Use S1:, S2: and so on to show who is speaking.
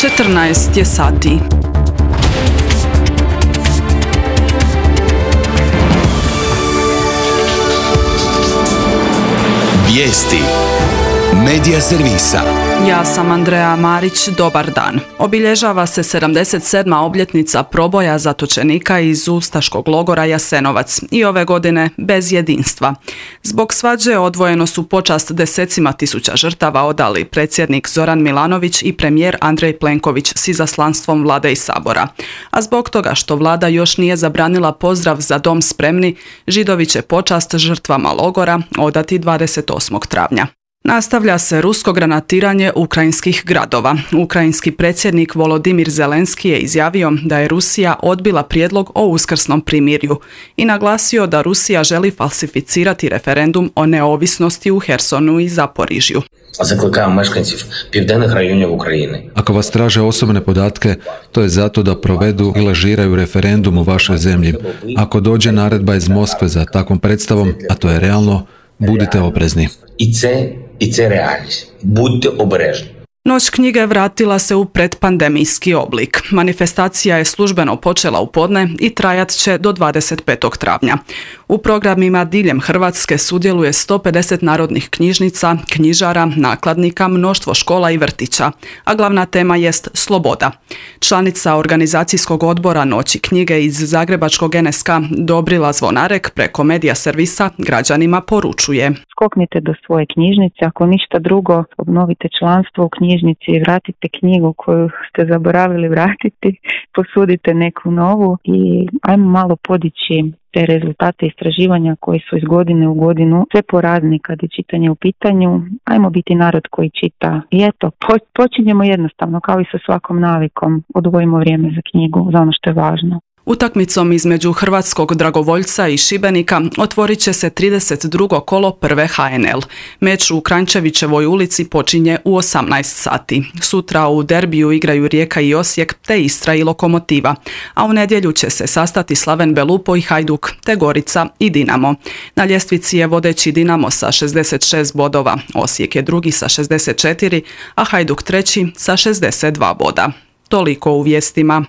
S1: 14 je sati.
S2: Vijesti Medija servisa.
S1: Ja sam Andreja Marić, dobar dan. Obilježava se 77. obljetnica proboja zatočenika iz ustaškog logora Jasenovac i ove godine bez jedinstva. Zbog svađe odvojeno su počast desecima tisuća žrtava odali predsjednik Zoran Milanović i premijer Andrej Plenković s izaslanstvom Vlade i Sabora. A zbog toga što Vlada još nije zabranila pozdrav za dom spremni, Židovi će počast žrtvama logora odati 28. travnja. Nastavlja se rusko granatiranje ukrajinskih gradova. Ukrajinski predsjednik Volodimir Zelenski je izjavio da je Rusija odbila prijedlog o uskrsnom primirju i naglasio da Rusija želi falsificirati referendum o neovisnosti u Hersonu i Zaporižju.
S3: Закликаємо мешканців південних районів України.
S4: Ako vas traže osobne podatke, to je zato da provedu i lažiraju referendum u vašoj zemlji. Ako dođe naredba iz Moskve za takvom predstavom, a to je realno, budite oprezni.
S3: І це реальність. Будьте обережні.
S1: Noć knjige vratila se u predpandemijski oblik. Manifestacija je službeno počela u podne i trajat će do 25. travnja. U programima diljem Hrvatske sudjeluje 150 narodnih knjižnica, knjižara, nakladnika, mnoštvo škola i vrtića, a glavna tema jest sloboda. Članica organizacijskog odbora Noći knjige iz zagrebačkog NSK Dobrila Zvonarek preko medija servisa građanima poručuje:
S5: skoknite do svoje knjižnice, ako ništa drugo, obnovite članstvo u knjižnici i vratite knjigu koju ste zaboravili vratiti, posudite neku novu i ajmo malo podići te rezultate istraživanja koji su iz godine u godinu sve porazni kad je čitanje u pitanju. Ajmo biti narod koji čita. I eto, počinjemo jednostavno, kao i sa svakom navikom, odvojimo vrijeme za knjigu, za ono što je važno.
S1: Utakmicom između hrvatskog Dragovoljca i Šibenika otvorit će se 32. kolo prve HNL. Meč u Kranjčevićevoj ulici počinje u 18 sati. Sutra u derbiju igraju Rijeka i Osijek te Istra i Lokomotiva, a u nedjelju će se sastati Slaven Belupo i Hajduk te Gorica i Dinamo. Na ljestvici je vodeći Dinamo sa 66 bodova, Osijek je drugi sa 64, a Hajduk treći sa 62 boda. Toliko u vijestima.